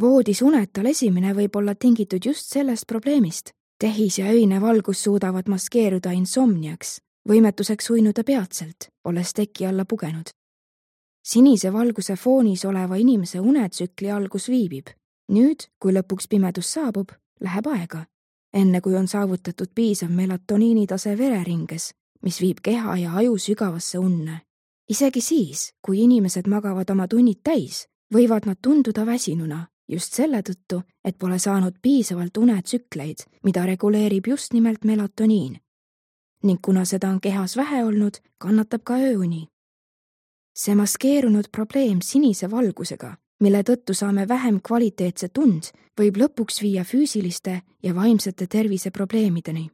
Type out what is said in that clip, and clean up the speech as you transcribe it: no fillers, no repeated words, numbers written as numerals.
Voodis unetal esimene võib olla tingitud just sellest probleemist. Tehis ja öine valgus suudavad maskeeruda insomniaks, võimetuseks uinuda peatselt, olles teki alla pugenud. Sinise valguse foonis oleva inimese unetsükli algus viibib. Nüüd, kui lõpuks pimedus saabub, läheb aega, enne kui on saavutatud piisav melatoniinitase vereringes, mis viib keha ja aju sügavasse unne. Isegi siis, kui inimesed magavad oma tunnid täis, võivad nad tunduda väsinuna, just selle tõttu, et pole saanud piisavalt unetsükleid, mida reguleerib just nimelt melatoniin. Ning kuna seda on kehas vähe olnud, kannatab ka ööuni. See maskeerunud probleem sinise valgusega, mille tõttu saame vähem kvaliteetse tund, võib lõpuks viia füüsiliste ja vaimsete terviseprobleemideni.